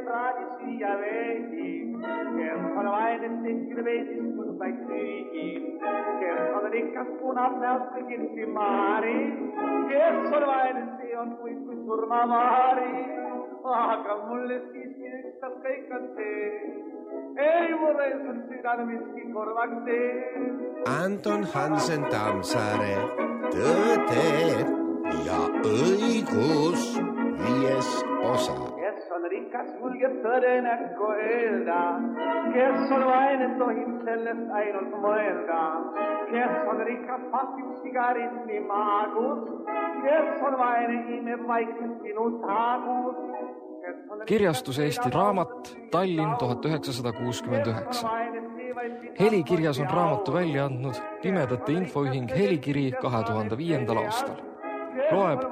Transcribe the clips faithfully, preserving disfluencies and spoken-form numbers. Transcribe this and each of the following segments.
traagisi ja veidi, kes on vaid tehtil veidistus vaid süügi, kes on rikas punab näost kõigilsi maari, kes on vaid see on kui, kui surmamaari, aga mulle siiski ükstas kõik on see, ei mulle on südame miski korvaks tee. Anton Hansen Tammsaare, Tõde ja õigus, viies osa. Kes on rikas, julgeb tõde näkku öelda, kes on vaene, tohib sellest ainult mõelda, kes on rikas, pasib sigaretti maagus, kes on vaene, imeb vaikselt sinu taagus. Kirjastus Eesti Raamat, Tallinn tuhat üheksasada kuuskümmend üheksa. Helikirjas on raamatu välja andnud Pimedate Infoühing Helikiri kahe tuhande viiendal aastal. Loeb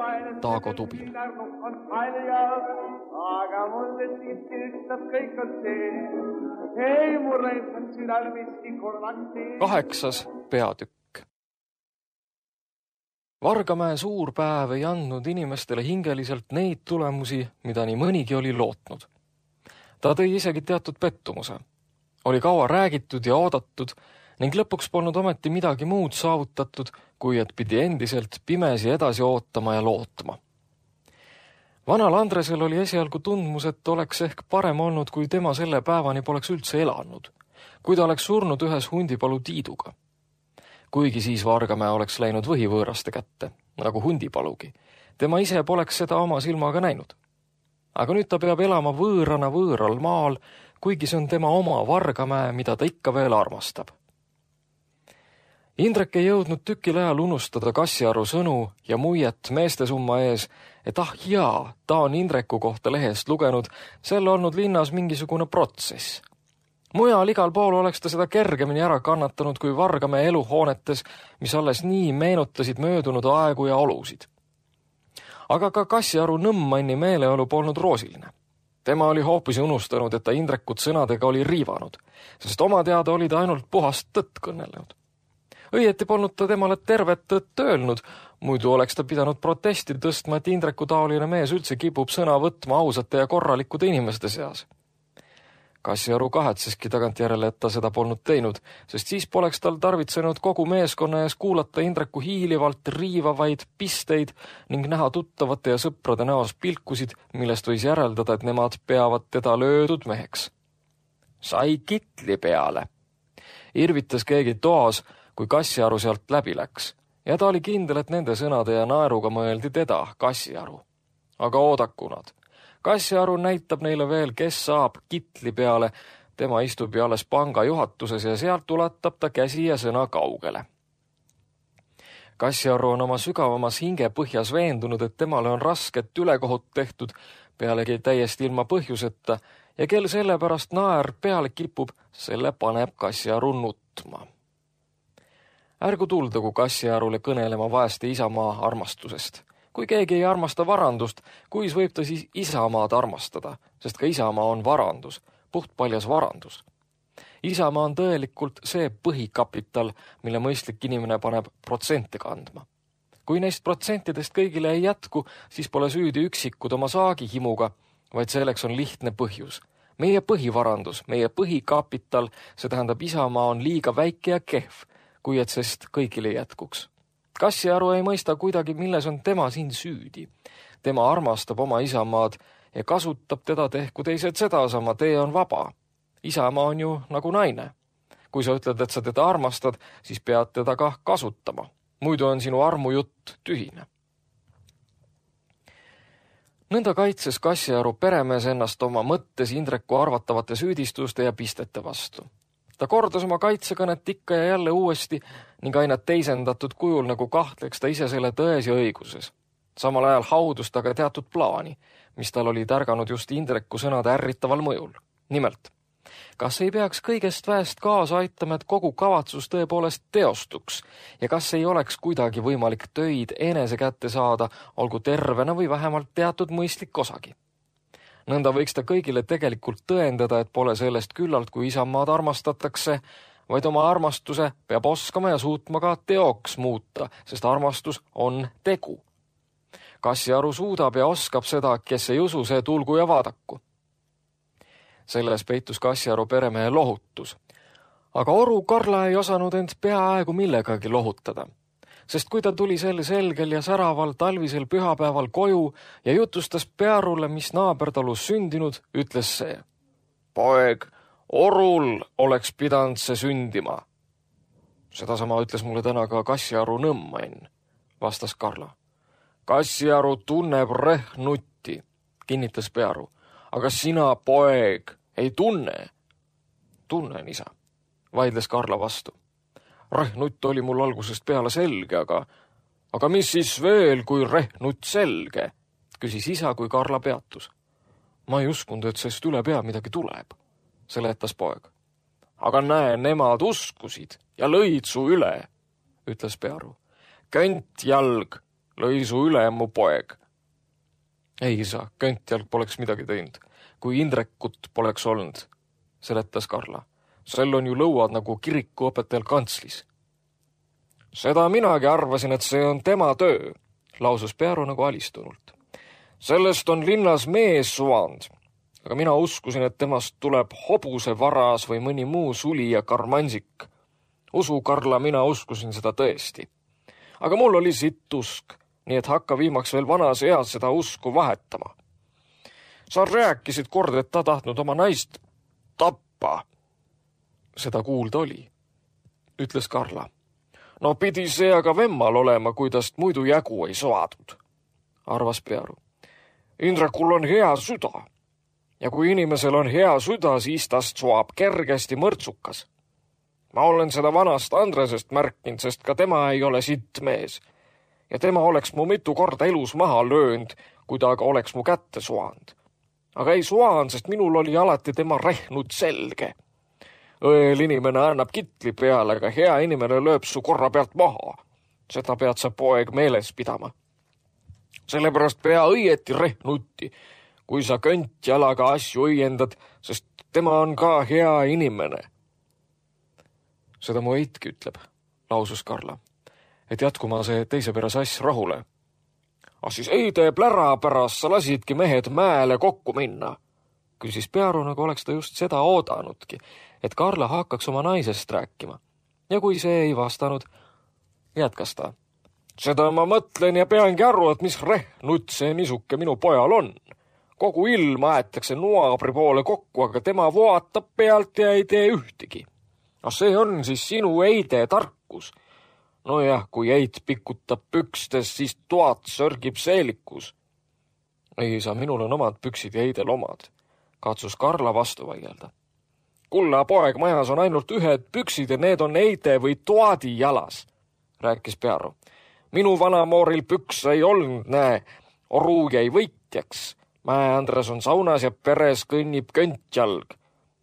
Taago Tubin. Aga mulle siiski ükstas kõik on see, ei mulle on südal miski korvaks tee. Kaheksas peatükk. Vargamäe suur päev ei andnud inimestele hingeliselt neid tulemusi, mida nii mõnigi oli lootnud. Ta tõi isegi teatud pettumuse. Oli kaua räägitud ja oodatud ning lõpuks polnud ometi midagi muud saavutatud, kui et pidi endiselt pimesi edasi ootama ja lootma. Vanal Andresel oli esialgu tundmus, et oleks ehk parem olnud, kui tema selle päevani poleks üldse elanud, kui ta oleks surnud ühes hundipalu tiiduga. Kuigi siis Vargamäe oleks läinud võhivõõraste kätte, nagu hundipalugi. Tema ise poleks seda oma silmaga näinud. Aga nüüd ta peab elama võõrana võõral maal, kuigi see on tema oma Vargamäe, mida ta ikka veel armastab. Indrek ei jõudnud tükil ajal unustada Kassiaru sõnu ja muiet meestesumma ees, et ah jaa, ta on Indreku kohta lehest lugenud, selle olnud linnas mingisugune protsess. Mujal igal pool oleks ta seda kergemini ära kannatanud kui Vargamäe eluhoonetes, mis alles nii meenutasid möödunud aegu ja olusid. Aga ka Kassiaru nõmmanni meeleolu polnud roosiline. Tema oli hoopis unustanud, et ta Indrekut sõnadega oli riivanud, sest oma teada oli ta ainult puhast tõtt kõnelenud. Õieti polnud ta temale tervet tõtt öelnud, muidu oleks ta pidanud protesti tõstma, et Indreku taoline mees üldse kipub sõna võtma ausate ja korralikude inimeste seas. Kassiaru kahetseski tagantjärele, et ta seda polnud teinud, sest siis poleks tal tarvitsenud kogu meeskonna ees kuulata Indreku hiilivalt riivavaid pisteid ning näha tuttavate ja sõprade näos pilkusid, millest võis järeldada, et nemad peavad teda löödud meheks. Sai kitli peale. Irvitas keegi toas, kui Kassiaru sealt läbi läks, ja ta oli kindel, et nende sõnade ja naeruga mõeldi teda, Kassiaru. Aga oodakunad. Kassiaru näitab neile veel, kes saab kitli peale. Tema istub ju alles panga juhatuses ja sealt ulatab ta käsi ja sõna kaugele. Kassiaru on oma sügavamas hinge põhjas veendunud, et temale on rasket ülekohut tehtud, pealegi täiesti ilma põhjuseta, ja kel sellepärast naer peale kipub, selle paneb Kassiaru nutma. Ärgu tuldagu Kassiarule kõnelema vaeste isamaa armastusest. Kui keegi ei armasta varandust, kuis võib ta siis isamaad armastada, sest ka isamaa on varandus, puhtpaljas varandus. Isamaa on tõelikult see põhikapital, mille mõistlik inimene paneb protsente kandma. Kui neist protsentidest kõigile ei jätku, siis pole süüdi üksikud oma saagihimuga, vaid selleks on lihtne põhjus. Meie põhivarandus, meie põhikapital, see tähendab isamaa on liiga väike ja kehv, kui et sest kõigile jätkuks. Kassiaru ei mõista kuidagi, milles on tema siin süüdi. Tema armastab oma isamaad ja kasutab teda tehku teised sedasama, tee on vaba. Isamaa on ju nagu naine. Kui sa ütled, et sa teda armastad, siis pead teda ka kasutama. Muidu on sinu armujutt tühine. Nõnda kaitses Kassiaru peremees ennast oma mõttes Indreku arvatavate süüdistuste ja pistete vastu. Ta kordas oma kaitsekõnet ikka ja jälle uuesti ning aina teisendatud kujul, nagu kahtleks ta ise selle tões ja õiguses. Samal ajal haudus ta ka teatud plaani, mis tal oli tärganud just Indreku sõnade ärritaval mõjul. Nimelt, kas ei peaks kõigest väest kaasa aitama, et kogu kavatsus tõepoolest teostuks ja kas ei oleks kuidagi võimalik töid enese kätte saada, olgu tervena või vähemalt teatud mõistlik osagi? Nõnda võiks ta kõigile tegelikult tõendada, et pole sellest küllalt, kui isamaad armastatakse, vaid oma armastuse peab oskama ja suutma ka teoks muuta, sest armastus on tegu. Kassiaru suudab ja oskab seda, kes ei usu, see tulgu ja vaadaku. Selles peitus Kassiaru peremehe lohutus. Aga oru Karla ei osanud end peaaegu millegagi lohutada, sest kui ta tuli sel selgel ja säraval talvisel pühapäeval koju ja jutustas Pearule, mis naabertalus sündinud, ütles see: "Poeg, orul oleks pidanud see sündima." "Sedasama ütles mulle täna ka Kassiaru nõmmain," vastas Karla. "Kassiaru tunneb Rehnutti," kinnitas Pearu. "Aga sina, poeg, ei tunne." "Tunnen, isa," vaidles Karla vastu. "Rehnutt oli mul algusest peale selge, aga aga mis siis veel, kui Rehnutt selge?" küsis isa, kui Karla peatus. "Ma ei uskunud, et sest üle pea midagi tuleb," seletas poeg. "Aga näe, nemad uskusid ja lõid su üle," ütles Pearu. "Köntjalg lõi su üle, mu poeg." "Ei, isa, Köntjalg poleks midagi teinud, kui Indrekut poleks olnud," seletas Karla. "Sel on ju lõuad nagu kirikuõpetajal kantslis." "Seda minagi arvasin, et see on tema töö," lausus Pearu nagu alistunult. "Sellest on linnas mees suvand, aga mina uskusin, et temast tuleb hobuse varas või mõni muu suli ja karmansik. Usu, Karla, mina uskusin seda tõesti. Aga mul oli sitt usk, nii et hakka viimaks veel vanas eas seda usku vahetama. Sa rääkisid kord, et ta tahtnud oma naist tappa." "Seda kuulda oli," ütles Karla. "No pidi see aga vemmal olema, kui tast muidu jagu ei saadud," arvas Pearu. "Indrekul on hea süda. Ja kui inimesel on hea süda, siis tast soab kergesti mõrtsukas. Ma olen seda vanast Andresest märkinud, sest ka tema ei ole sitt mees. Ja tema oleks mu mitu korda elus maha löönud, kui ta aga oleks mu kätte suand. Aga ei suand, sest minul oli alati tema Rehnut selge. Õel inimene annab kitli peale, aga hea inimene lööb su korra pealt maha. Seda pead sa, poeg, meeles pidama. Sellepärast pea õieti Rehnutti, kui sa Köntjalaga asju õiendad, sest tema on ka hea inimene." "Seda mu eitki ütleb," lausus Karla, "et jätkuma see teise pere sass rahule." "Ah siis eide plära pärast sa lasidki mehed mäele kokku minna," küsis Pearu, nagu oleks ta just seda oodanudki, et Karla hakkaks oma naisest rääkima. Ja kui see ei vastanud, jätkas ta: "Seda ma mõtlen ja peangi aru, et mis Rehnut see nisuke minu pojal on. Kogu ilm aetakse nuabri poole kokku, aga tema vaatab pealt ja ei tee ühtegi. No see on siis sinu eide tarkus. Nojah, kui eit pikutab pükstes, siis toad sörgib seelikus." "Ei isa, minul on omad püksid ja eidel omad," katsus Karla vastu vaielda. "Kulla, poeg, majas on ainult ühed püksid ja need on eide või toadi jalas," rääkis Pearu. "Minu vanamooril püks ei olnud, näe, oru jäi võitjaks. Mäe Andres on saunas ja peres kõnnib Köntjalg.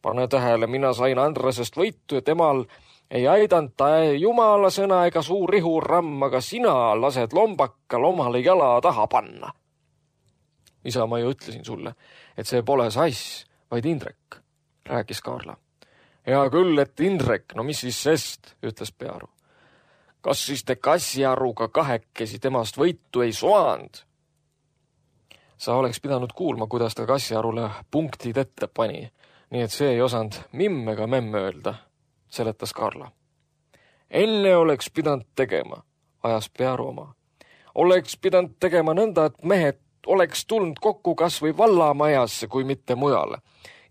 Pane tähele, mina sain Andresest võitu ja temal ei aidanud ta jumala sõna ega suur rihuramm, aga sina lased lombakal omale jala taha panna." "Isa, ma ju ütlesin sulle, et see pole sass, vaid Indrek," rääkis Karla. "Hea küll, et Indrek, no mis siis sest," ütles Pearu. "Kas siis te Kassiaruga kahekesi temast võitu ei saanud?" "Sa oleks pidanud kuulma, kuidas ta Kassiarule punktid ette pani, nii et see ei osanud mimm ega memm öelda," seletas Karla. "Enne oleks pidanud tegema," ajas Pearu oma. "Oleks pidanud tegema nõnda, et mehed oleks tulnud kokku kas või vallamajasse, kui mitte mujale.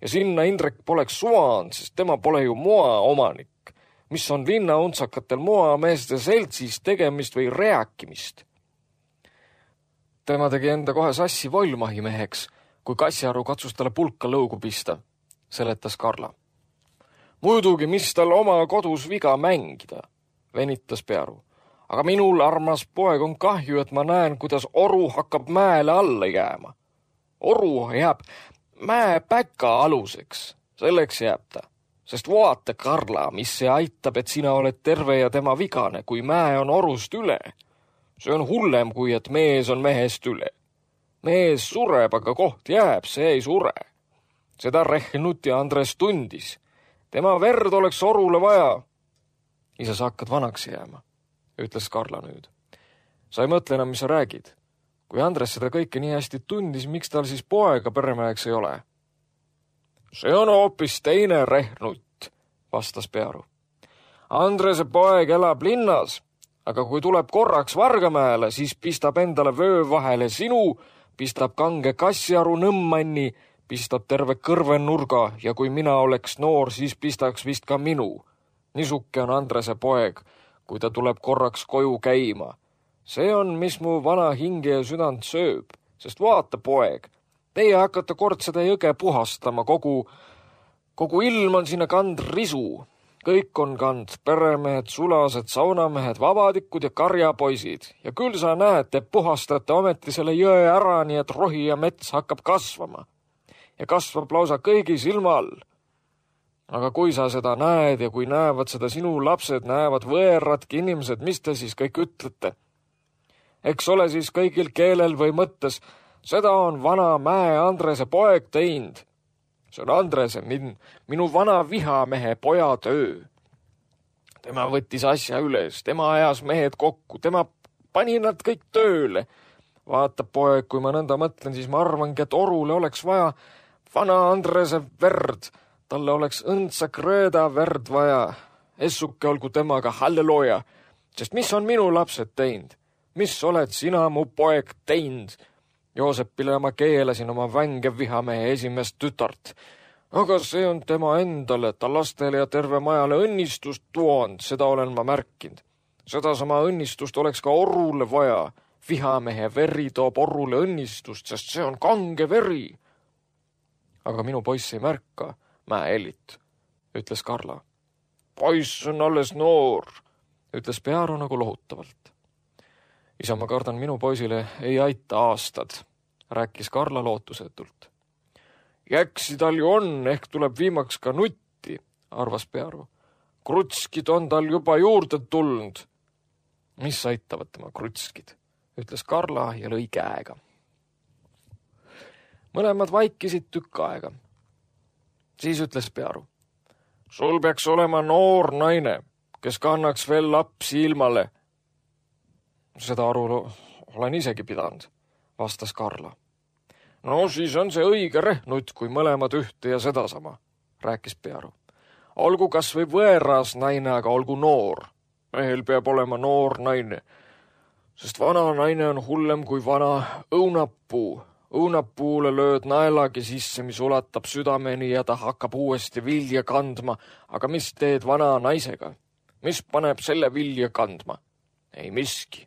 Ja sinna Indrek poleks suand, sest tema pole ju moa omanik, mis on linnauntsakatel moameeste seltsis tegemist või rääkimist. Tema tegi enda kohe sassi Volmahi meheks, kui Kassiaru katsus talle pulka lõugu pista," seletas Karla. "Muidugi, mis tal oma kodus viga mängida," venitas Pearu. "Aga minul, armas poeg, on kahju, et ma näen, kuidas oru hakkab mäele alla jääma. Oru jääb mäe päka aluseks, selleks jääb ta. Sest vaata, Karla, mis see aitab, et sina oled terve ja tema vigane, kui mäe on orust üle. See on hullem, kui et mees on mehest üle. Mees sureb, aga koht jääb, see ei sure. Seda Rehnut ja Andres tundis. Tema verd oleks orule vaja." "Isa, sa hakkad vanaks jääma," ütles Karla nüüd. "Sa ei mõtle enam, mis sa räägid. Kui Andres seda kõike nii hästi tundis, miks tal siis poega peremeheks ei ole?" See on hoopis teine Rehnut, vastas Pearu. Andrese poeg elab linnas, aga kui tuleb korraks Vargamäele, siis pistab endale vöö vahele sinu, pistab kange kassiaru nõmmanni, pistab terve kõrvenurga ja kui mina oleks noor, siis pistaks vist ka minu. Nisuke on Andrese poeg, kui ta tuleb korraks koju käima. See on, mis mu vana hinge ja südant sööb, sest vaata, poeg, teie hakkate kord seda jõge puhastama, kogu, kogu ilm on sinna kand risu. Kõik on kand peremehed, sulased, saunamehed, vabadikud ja karjapoisid. Ja küll sa näed, te puhastate ometi selle jõe ära, nii et rohi ja mets hakkab kasvama. Ja kasvab lausa kõigi silma all. Aga kui sa seda näed ja kui näevad seda sinu lapsed, näevad võõradki inimesed, mis te siis kõik ütlete? Eks ole siis kõigil keelel või mõttes, seda on vana Mäe Andrese poeg teinud. See on Andrese, min, minu vana vihamehe poja töö. Tema võttis asja üles, tema ajas mehed kokku, tema pani nad kõik tööle. Vaata, poeg, kui ma nõnda mõtlen, siis ma arvangi, et orule oleks vaja vana Andrese verd. Talle oleks õndsa krööda verd vaja. Essuke olgu temaga halleluja, sest mis on minu lapsed teinud? Mis oled sina, mu poeg, teinud? Joosepile ma keelasin oma vänge vihamehe esimest tütart. Aga see on tema endale, ta lastele ja terve majale õnnistust tuond, seda olen ma märkinud. Seda sama õnnistust oleks ka orule vaja. Vihamehe veri toob orule õnnistust, sest see on kange veri. Aga minu poiss ei märka, Mäe Ellit, ütles Karla. Poiss on alles noor, ütles Pearu nagu lohutavalt. Isa, ma kardan, minu poisile ei aita aastad, rääkis Karla lootusetult. Jäksi tal ju on, ehk tuleb viimaks ka nutti, arvas Pearu. Krutskid on tal juba juurde tulnud. Mis aitavad tema krutskid, ütles Karla ja lõi käega. Mõlemad vaikisid tükk aega. Siis ütles Pearu. Sul peaks olema noor naine, kes kannaks veel lapsi ilmale. Seda aru olen isegi pidanud, vastas Karla. No siis on see õige Rehnut, kui mõlemad ühte ja sedasama, rääkis Pearu. Olgu kas või võõras naine, aga olgu noor. Mehel peab olema noor naine, sest vana naine on hullem kui vana õunapuu. Õunapuule lööd naelagi sisse, mis ulatab südameni ja ta hakkab uuesti vilja kandma. Aga mis teed vana naisega? Mis paneb selle vilja kandma? Ei miski.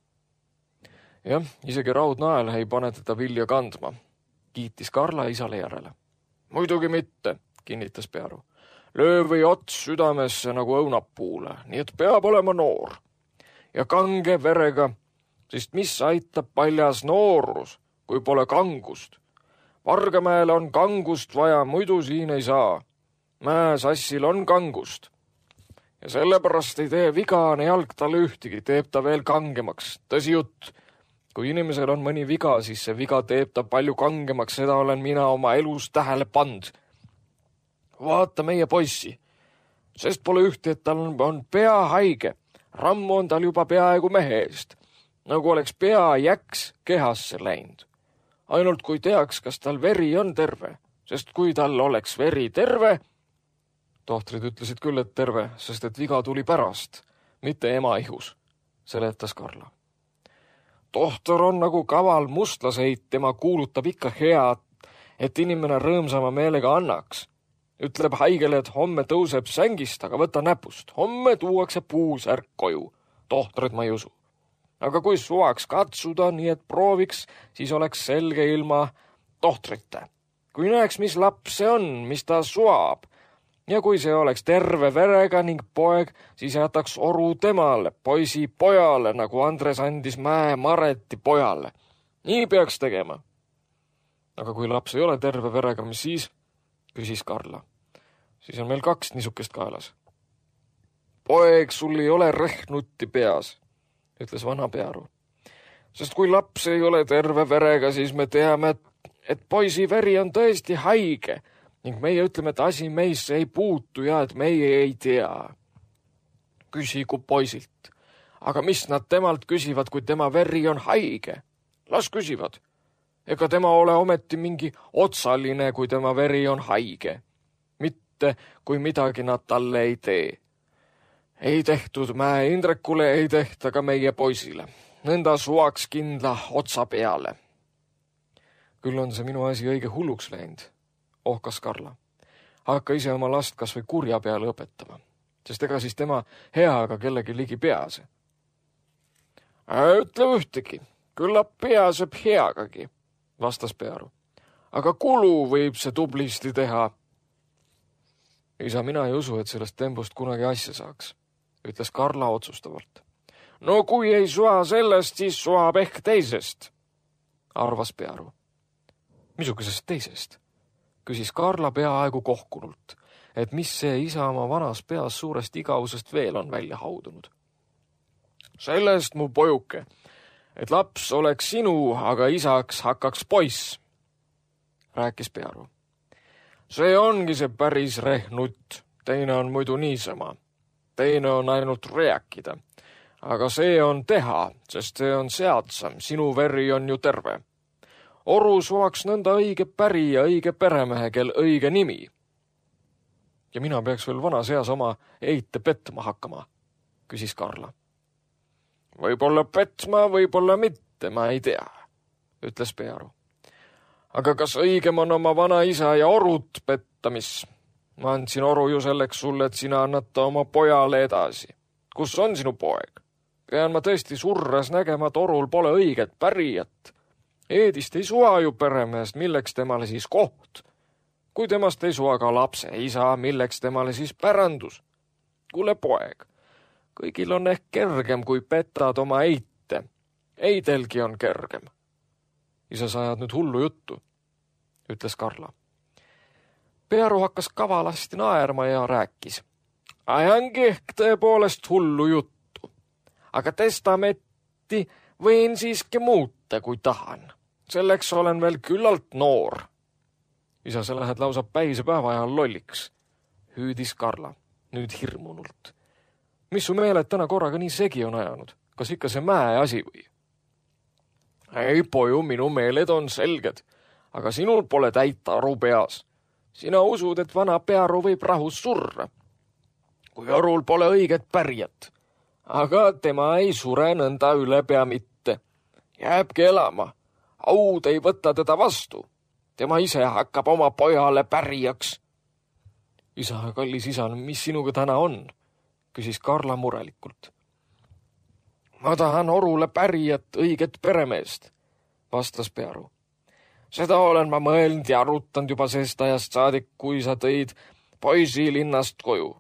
Jah, isegi raudnael ei pane teda vilja kandma, kiitis Karla isale järele. Muidugi mitte, kinnitas Pearu. Löö või ots südamesse nagu õunapuule, nii et peab olema noor. Ja kange verega, sest mis aitab paljas noorus, kui pole kangust. Vargamäele on kangust vaja, muidu siin ei saa. Mäesassil on kangust. Ja sellepärast ei tee vigane jalg talle ühtegi, teeb ta veel kangemaks. Tõsi jutt. Kui inimesel on mõni viga, siis see viga teeb ta palju kangemaks, seda olen mina oma elus tähele pand. Vaata meie poissi, sest pole ühti, et tal on, on pea haige. Rammu on tal juba peaaegu mehe eest, nagu oleks pea jäks kehasse läinud. Ainult kui teaks, kas tal veri on terve, sest kui tal oleks veri terve, tohtrid ütlesid küll, et terve, sest et viga tuli pärast, mitte ema ihus, seletas Karla. Tohtor on nagu kaval mustlaseit, tema kuulutab ikka head, et inimene rõõmsama meelega annaks. Ütleb haigele, et homme tõuseb sängist, aga võta näpust. Homme tuuakse puusärk koju. Tohtrid ma ei usu. Aga kui suvaks katsuda, nii et prooviks, siis oleks selge ilma tohtrite. Kui näeks, mis laps see on, mis ta suab, ja kui see oleks terve verega ning poeg, siis jätaks oru temale, poisi pojale, nagu Andres andis Mäe Mareti pojale. Nii peaks tegema. Aga kui laps ei ole terve verega, mis siis? Küsis Karla. Siis on meil kaks niisukest kaelas. Poeg, sul ei ole Rehnutti peas, ütles vana Pearu. Sest kui laps ei ole terve verega, siis me teame, et, et poisi veri on tõesti haige, ning meie ütleme, et asi meisse ei puutu ja et meie ei tea. Küsigu poisilt. Aga mis nad temalt küsivad, kui tema veri on haige? Las küsivad. Ega tema ole ometi mingi otsaline, kui tema veri on haige. mitte, kui midagi nad talle ei tee. Ei tehtud Mäe Indrekule, ei tehta ka meie poisile. Nõnda suvaks kindla otsa peale. Küll on see minu asi õige hulluks läinud, ohkas Karla. Hakka ise oma last kas või kurja peale õpetama, sest ega siis tema heaga kellegi ligi pease. Ütle ühtegi, küllap peaseb heagagi, vastas Pearu. Aga kulu võib see tublisti teha. Isa, mina ei usu, et sellest tembust kunagi asja saaks, ütles Karla otsustavalt. No kui ei sua sellest, siis suab ehk teisest, arvas Pearu. Missugusest teisest? Küsis Karla peaaegu kohkunult, et mis see isa oma vanas peas suurest igavusest veel on välja haudunud. Sellest, mu pojuke, et laps oleks sinu, aga isaks hakkaks poiss, rääkis Pearu. See ongi see päris rehnutt, teine on muidu niisama, teine on ainult rääkida. Aga see on teha, sest see on seadsam, sinu veri on ju terve. Oru suaks nõnda õige päri ja õige peremehe, kel õige nimi. Ja mina peaks veel vanas eas oma eite petma hakkama, küsis Karla. Võib-olla petma, võib-olla mitte, ma ei tea, ütles Pearu. Aga kas õigem on oma vana isa ja orut petta, mis? Ma andsin oru ju selleks sulle, et sina annad ta oma pojale edasi. Kus on sinu poeg? Pean ma tõesti surras nägema, et orul pole õiget pärijat. Eedist ei sua ju peremehest, milleks temale siis koht. Kui temast ei sua ka lapse isa, milleks temale siis pärandus. Kuule poeg, kõigil on ehk kergem, kui petad oma eite. Eidelgi on kergem. Isa, sa ajad nüüd hullu juttu, ütles Karla. Pearu hakkas kavalasti naerma ja rääkis. Ajangi ehk tõepoolest hullu juttu. Aga testamenti võin siiski muuta, kui tahan. Selleks olen veel küllalt noor. Isa, sa lähed lausa päise päeva ajal lolliks, hüüdis Karla, nüüd hirmunult. Mis su meeled täna korraga nii segi on ajanud? Kas ikka see Mäe asi või? Ei, poju, minu meeled on selged, aga sinul pole täita aru peas. Sina usud, et vana Pearu võib rahus surra, kui orul pole õiget pärjat. Aga tema ei sure nõnda üle pea mitte. Jääbki elama. Aud ei võta teda vastu. Tema ise hakkab oma pojale pärijaks. Isa, kallis isa, mis sinuga täna on? Küsis Karla murelikult. Ma tahan orule pärijat, õiget peremeest, vastas Pearu. Seda olen ma mõelnud ja arutanud juba sest ajast saadik, kui sa tõid poisi linnast koju.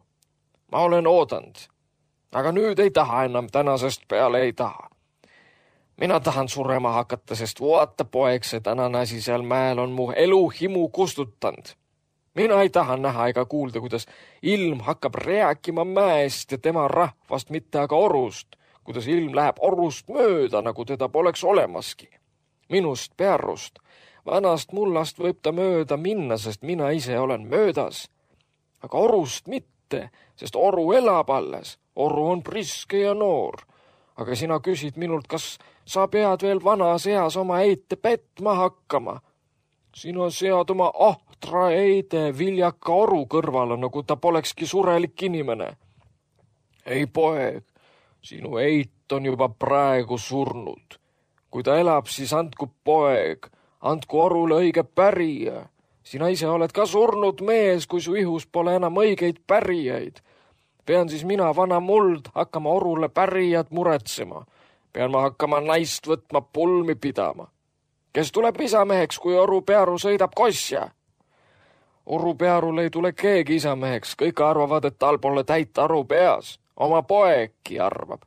Ma olen oodanud. Aga nüüd ei taha enam, tänasest peale ei taha. Mina tahan surema hakata, sest vaata poeg, see tänane asi seal mäel on mu elu himu kustutanud. Mina ei taha näha ega kuulda, kuidas ilm hakkab rääkima mäest ja tema rahvast, mitte aga orust, kuidas ilm läheb orust mööda, nagu teda poleks olemaski. Minust, Pearust, vanast mullast võib ta mööda minna, sest mina ise olen möödas. Aga orust mitte, sest oru elab alles. Oru on priske ja noor, aga sina küsid minult, kas sa pead veel vanas eas oma eite petma hakkama. Sina sead oma ahtra eide viljaka oru kõrvale, nagu ta polekski surelik inimene. Ei poeg, sinu eit on juba praegu surnud. Kui ta elab, siis andku poeg, andku orule õige pärija. Sina ise oled ka surnud mees, kui su ihus pole enam õigeid pärijaid. Pean siis mina, vana muld, hakkama orule pärijad muretsema. Pean ma hakkama naist võtma pulmi pidama. Kes tuleb isameheks, kui oru Pearu sõidab kosja? Oru Pearul ei tule keegi isameheks. Kõik arvavad, et tal pole täita aru peas. Oma poegki arvab.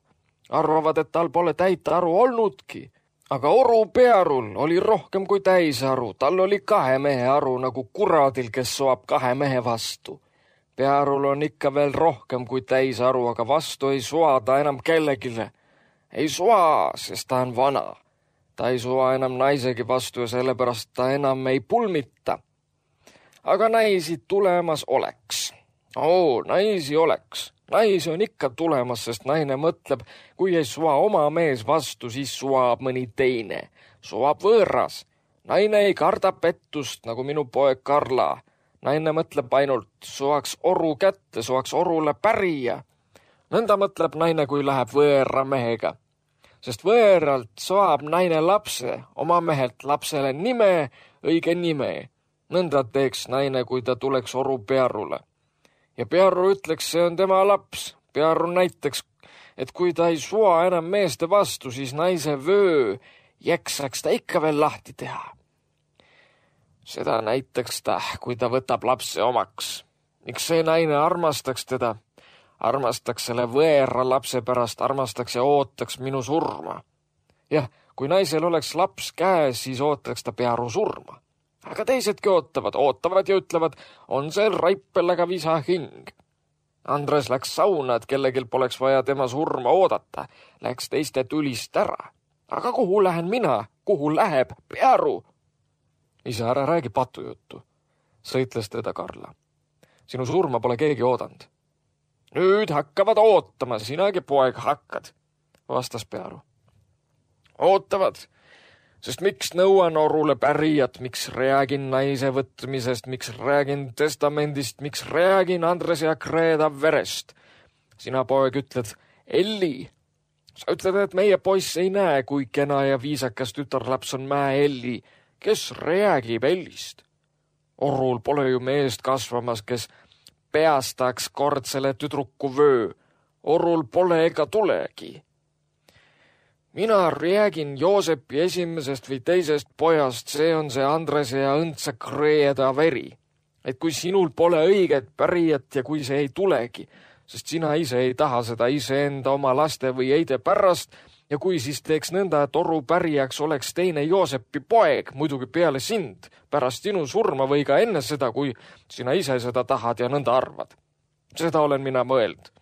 Arvavad, et tal pole täita aru olnudki. Aga oru Pearul oli rohkem kui täis aru. Tal oli kahe mehe aru, nagu kuradil, kes soab kahe mehe vastu. Pearul on ikka veel rohkem kui täis aru, aga vastu ei sua ta enam kellegile. Ei sua, sest ta on vana. Ta ei sua enam naisegi vastu ja sellepärast ta enam ei pulmita. Aga naisi tulemas oleks. Oo, naisi oleks. Naisi on ikka tulemas, sest naine mõtleb, kui ei sua oma mees vastu, siis suab mõni teine. Suab võõras. Naine ei karda pettust, nagu minu poeg Karla. Naine mõtleb ainult, suaks oru kätte, suaks orule pärija. Nõnda mõtleb naine, kui läheb võõra mehega. Sest võõralt saab naine lapse, oma mehelt lapsele nime, õige nime. Nõnda teeks naine, kui ta tuleks oru pearule. Ja pearu ütleks, see on tema laps. Pearu näiteks, et kui ta ei sua enam meeste vastu, siis naise vöö jäksaks ta ikka veel lahti teha. Seda näiteks ta, kui ta võtab lapse omaks. Miks see naine armastaks teda? Armastaks selle võõra lapse pärast, armastaks ja ootaks minu surma. Jah, kui naisel oleks laps käes, siis ootaks ta pearu surma. Aga teisedki ootavad, ootavad ja ütlevad, on see raipelega visa hing. Andres läks sauna, et kellegil poleks vaja tema surma oodata. Läks teiste tulist ära. Aga kuhu lähen mina? Kuhu läheb pearu? Isa, ära räägi patujuttu, sõitles teda Karla. Sinu surma pole keegi oodanud. Nüüd hakkavad ootama, sinagi poeg hakkad, vastas pearu. Ootavad, sest miks nõuan orule pärijat, miks räägin naise võtmisest, miks räägin testamendist, miks räägin Andres ja Kreeda verest. Sina poeg ütled, Elli. Sa ütled, et meie poiss ei näe, kui kena ja viisakas tütarlaps on mäe Elli. Kes räägib Ellist? Orul pole ju meest kasvamas, kes peastaks kord selle tüdruku vöö. Orul pole ega tulegi. Mina räägin Joosepi esimesest või teisest pojast, see on see Andrese ja õndsa Kreeda veri. Et kui sinul pole õiget pärijat ja kui see ei tulegi, sest sina ise ei taha seda iseenda oma laste või eide pärast, ja kui siis teeks nõnda, et oru pärijaks oleks teine Joosepi poeg, muidugi peale sind, pärast sinu surma või ka enne seda, kui sina ise seda tahad ja nõnda arvad. Seda olen mina mõeld.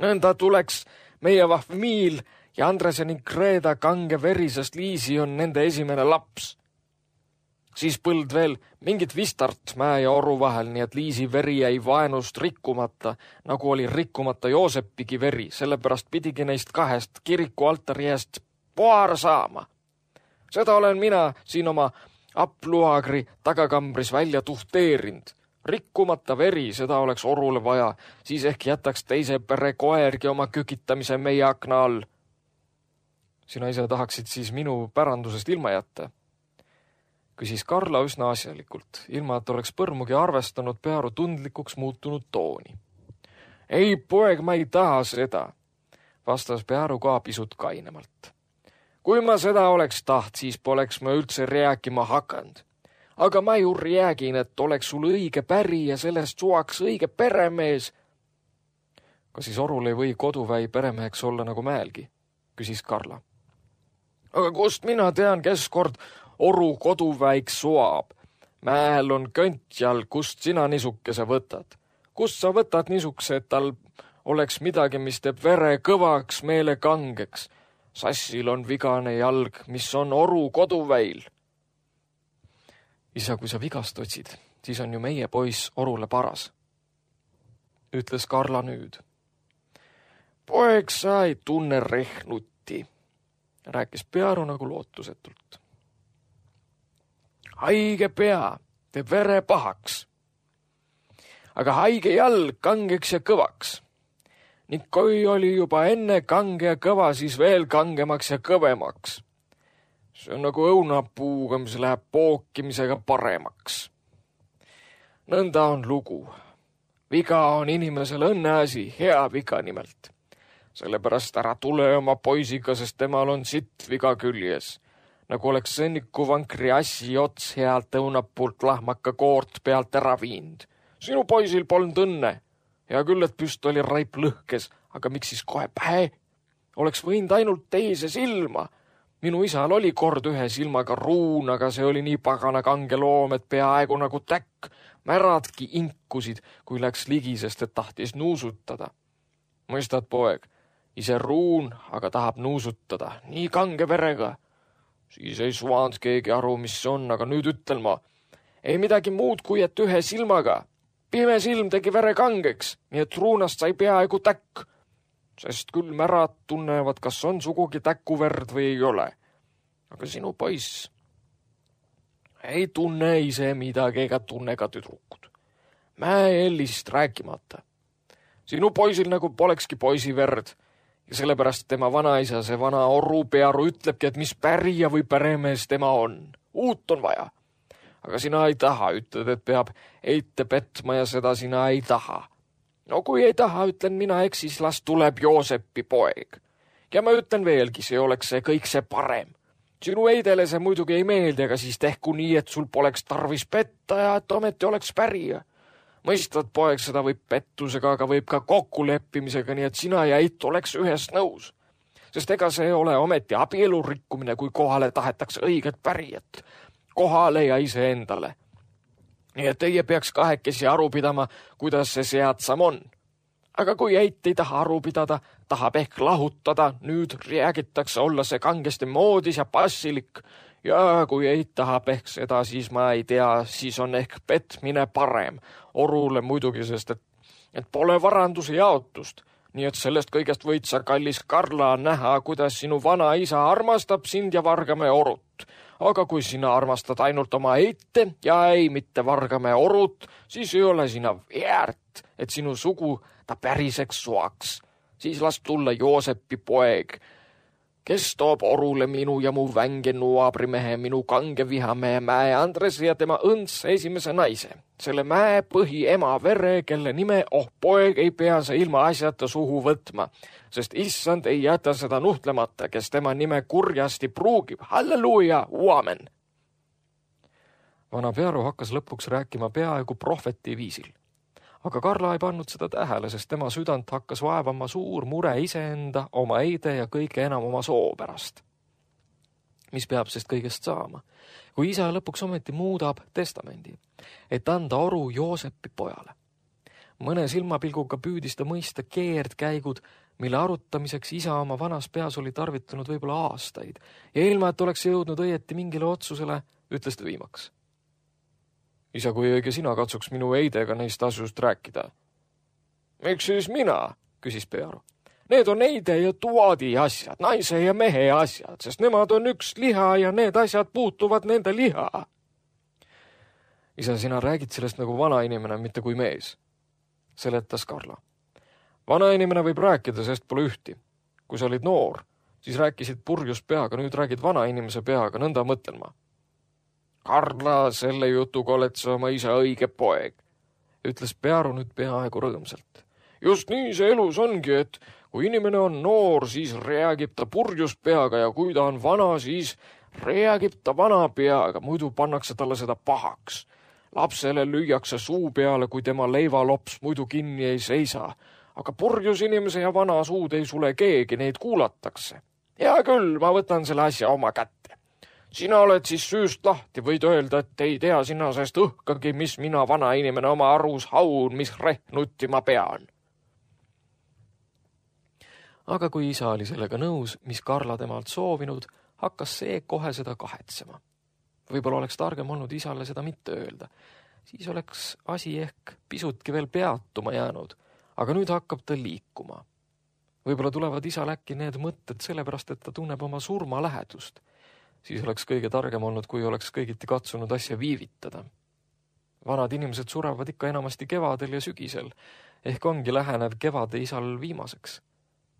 Nõnda tuleks meie vahvmiil ja Andrese ning Kreeda kange verisest Liisi on nende esimene laps. Siis põld veel mingit vistart mäe ja oru vahel, nii et Liisi veri jäi vaenust rikkumata, nagu oli rikkumata Joosepigi veri, sellepärast pidigi neist kahest kiriku altari eest paar saama. Seda olen mina siin oma Apluagri tagakambris välja tuhteerinud. Rikkumata veri, seda oleks orule vaja, siis ehk jätaks teise pere koergi oma kükitamise meie akna all. Sina ise tahaksid siis minu pärandusest ilma jätta? Küsis Karla üsna asjalikult, ilma et oleks põrmugi arvestanud pearu tundlikuks muutunud tooni. Ei, poeg, ma ei taha seda, vastas pearu ka pisut kainemalt. Kui ma seda oleks taht, siis poleks ma üldse rääkima hakanud. Aga ma ju räägin, et oleks sul õige päri ja sellest suaks õige peremees. Kas siis orul ei või koduväi peremeheks olla nagu mäelgi? Küsis Karla. Aga kust mina tean, kes kord oru koduväiks suab? Mäel on köntjal, kust sina nisukese võtad? Kust sa võtad nisukese, et tal oleks midagi, mis teeb vere kõvaks, meele kangeks? Sassil on vigane jalg, mis on oru koduväil. Isa, kui sa vigast otsid, siis on ju meie poiss orule paras, ütles Karla nüüd. Poeg, sa ei tunne rehnuti, rääkis pearu nagu lootusetult. Haige pea teeb vere pahaks, aga haige jalg kangeks ja kõvaks. Ning kui oli juba enne kange ja kõva, siis veel kangemaks ja kõvemaks. See on nagu õunapuuga, mis läheb pookimisega paremaks. Nõnda on lugu. Viga on inimesel õnneasi, hea viga nimelt. Sellepärast ära tule oma poisiga, sest temal on sitt viga küljes. Nagu oleks sõnniku vankri assi ots healt õunapuult lahmaka koort pealt ära viind. Sinu poisil polnud õnne. Hea küll, et püst oli raip lõhkes, aga miks siis kohe pähe? Oleks võinud ainult teise silma. Minu isal oli kord ühe silmaga ruun, aga see oli nii pagana kange loom, et peaaegu nagu täkk. Märadki inkusid, kui läks ligi, sest et tahtis nuusutada. Mõistad, poeg, ise ruun, aga tahab nuusutada, nii kange verega. Siis ei suanud keegi aru, mis see on, aga nüüd ütlen ma. Ei midagi muud, kui et ühe silmaga. Pime silm tegi vere kangeks, nii et ruunast sai peaaegu täkk. Sest küll märad tunnevad, kas on sugugi täkuverd või ei ole. Aga sinu poiss Ei tunne ise midagi ega tunne ka tüdrukud. Mäe-Ellist rääkimata. Sinu poisil nagu polekski poisi verd ja sellepärast tema vanaisa, see vana Oru Pearu ütlebki, et mis pärija või päremees tema on. Uut on vaja. Aga sina ei taha, ütled, et peab eite petma ja seda sina ei taha. No kui ei taha, ütlen mina, eks siis las tuleb Joosepi poeg. Ja ma ütlen veelgi, see oleks see kõik see parem. Sinu eidele see muidugi ei meeldi, aga siis tehku nii, et sul poleks tarvis petta ja et ometi oleks pärija. Mõistad, poeg, seda võib pettusega, aga võib ka kokkuleppimisega, nii et sina ja eit oleks ühes nõus. Sest ega see ei ole ometi abielu rikkumine, kui kohale tahetakse õiget pärijat. Kohale ja ise endale. Nii et teie peaks kahekesi aru pidama, kuidas see seadsam on. Aga kui eit ei taha aru pidada, tahab ehk lahutada, nüüd räägitakse olla see kangesti moodis ja passilik. Ja kui eit tahab ehk seda, siis ma ei tea, siis on ehk petmine parem. Orule muidugi, sest et, et pole varanduse jaotust. Nii et sellest kõigest võid sa, kallis Karla, näha, kuidas sinu vana isa armastab sind ja Vargamäe Orut. Aga kui sina armastad ainult oma eite ja ei mitte Vargamäe Orut, siis ei ole sina väärt, et sinu sugu ta päriseks suaks. Siis las tulla Joosepi poeg, kes toob Orule minu ja mu vänge nuabrimehe, minu kange vihamehe Mäe Andres ja tema õnds esimese naise. Selle Mäe põhi ema vere, kelle nime, oh poeg, ei pea sa ilma asjata suhu võtma, sest issand ei jäta seda nuhtlemata, kes tema nime kurjasti pruugib. Halleluuja, uamen! Vana Pearu hakkas lõpuks rääkima peaaegu prohveti viisil. Aga Karla ei pannud seda tähele, sest tema südant hakkas vaevama suur mure iseenda, oma eide ja kõige enam oma soo pärast. Mis peab sest kõigest saama, kui isa lõpuks ometi muudab testamendi, et anda Oru Joosepi pojale. Mõne silmapilguga püüdis ta mõista keerdkäigud, mille arutamiseks isa oma vanas peas oli tarvitanud võib-olla aastaid ja ilma, et oleks jõudnud õieti mingile otsusele, ütles ta viimaks. Isa, kui õige sina katsuks minu eidega neist asjust rääkida. Miks siis mina, küsis Pearu. Need on eide ja tuadi asjad, naise ja mehe asjad, sest nemad on üks liha ja need asjad puutuvad nende liha. Isa, sina räägid sellest nagu vana inimene, mitte kui mees, seletas Karla. Vana inimene võib rääkida, sest pole ühti. Kui sa olid noor, siis rääkisid purjus peaga, nüüd räägid vana inimese peaga, nõnda mõtlen ma. Karla, selle jutuga oled sa oma isa õige poeg, ütles Pearu nüüd peaaegu rõõmsalt. Just nii see elus ongi, et kui inimene on noor, siis räägib ta purjus peaga ja kui ta on vana, siis räägib ta vana peaga, muidu pannakse talle seda pahaks. Lapsele lüüakse suu peale, kui tema leivalops muidu kinni ei seisa, aga purjus inimese ja vana suud ei sule keegi, neid kuulatakse. Hea küll, ma võtan selle asja oma kätte. Sina oled siis süüst lahti, võid öelda, et ei tea sina sest õhkagi, mis mina vana inimene oma arus haun, mis rehnutti ma pean. Aga kui isa oli sellega nõus, mis Karla temalt soovinud, hakkas see kohe seda kahetsema. Võib-olla oleks targem olnud isale seda mitte öelda. Siis oleks asi ehk pisutki veel peatuma jäänud, aga nüüd hakkab ta liikuma. Võib-olla tulevad isal äkki need mõtted sellepärast, et ta tunneb oma surma lähedust. Siis oleks kõige targem olnud, kui oleks kõigiti katsunud asja viivitada. Vanad inimesed surevad ikka enamasti kevadel ja sügisel, ehk ongi lähenev kevade isal viimaseks.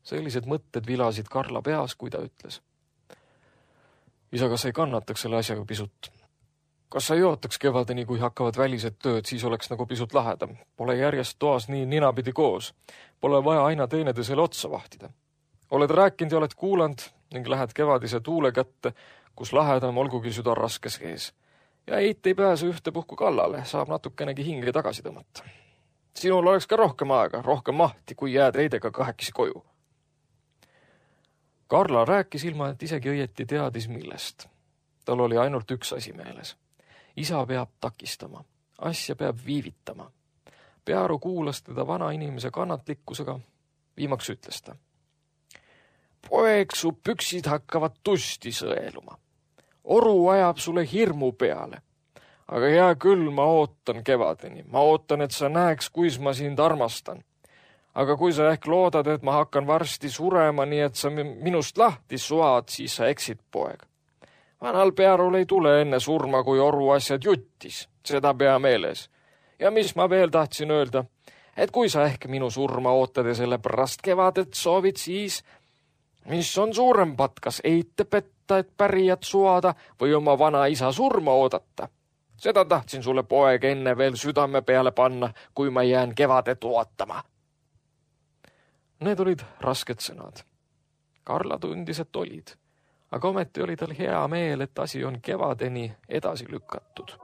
Sellised mõtted vilasid Karla peas, kui ta ütles. Isa, kas ei kannataks selle asjaga pisut? Kas sa ei ootaks kevadeni, kui hakkavad välised tööd, siis oleks nagu pisut lahedam. Pole järjest toas nii ninapidi koos. Pole vaja aina teenedesele otsa vahtida. Oled rääkinud ja oled kuulanud ning lähed kevadise tuule kätte, kus lahedam olgugi süda raskes ees. Ja eit ei pääse ühte puhku kallale, saab natukenegi hinge tagasi tõmmata. Sinul oleks ka rohkem aega, rohkem mahti, kui jääd eidega kahekesi koju. Karla rääkis ilma, et isegi õieti teadis millest. Tal oli ainult üks asi meeles. Isa peab takistama, asja peab viivitama. Pearu kuulas teda vana inimese kannatlikkusega, viimaks ütles ta. Poeg, su püksid hakkavad tusti sõeluma. Oru ajab sulle hirmu peale. Aga hea küll, ma ootan kevadeni. Ma ootan, et sa näeks, kuis ma sind armastan. Aga kui sa ehk loodad, et ma hakkan varsti surema, nii et sa minust lahti suad, siis sa eksid, poeg. Vanal Pearul ei tule enne surma, kui oru asjad juttis, seda pea meeles. Ja mis ma veel tahtsin öelda, et kui sa ehk minu surma ootad ja selle pärast kevadet soovid, siis mis on suurempat, kas eite petta, et pärijat suada või oma vana isa surma oodata? Seda tahtsin sulle poeg enne veel südame peale panna, kui ma jään kevadet ootama. Need olid rasked sõnad. Karla tundis, et olid, aga ometi oli tal hea meel, et asi on kevadeni edasi lükatud.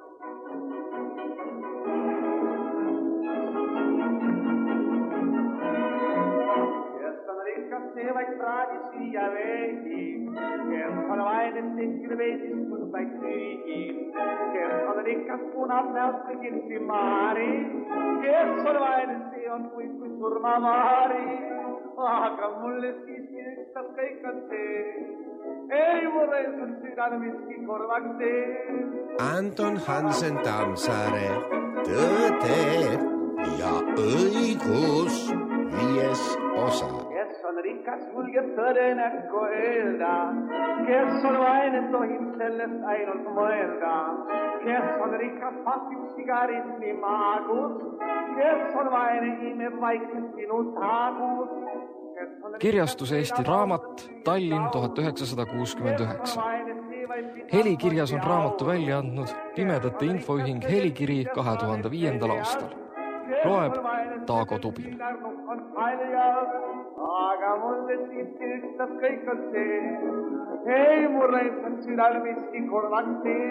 Vaid praadi siia veidi, kes on vaid et tekkida veidis mõndaid süügi, kes on rikas punab näost kõigil simaari, kes on vaid et see on kui kui surmamaari, aga mulle siiski ükstas kõik on see, ei mulle on südane miski korvaks see. Anton Hansen Tammsaare, Tõde ja õigus, viies osa. On rikas julgeb tõde näkku öelda, kes on vaene tohib sellest ainult mõelda, kes on rikas pasib sigarit nii maagus, kes on vaene imeb vaikselt sinu taagus. Kirjastus Eesti Raamat, Tallinn tuhat üheksasada kuuskümmend üheksa. Helikirjas on raamatu välja andnud Pimedate Infoühing Helikiri kahe tuhande viiendal aastal. Loeb Taago Tubin. Aga mulle siiski ükstas kõik on see, ei mulle on südal miski korvaks see.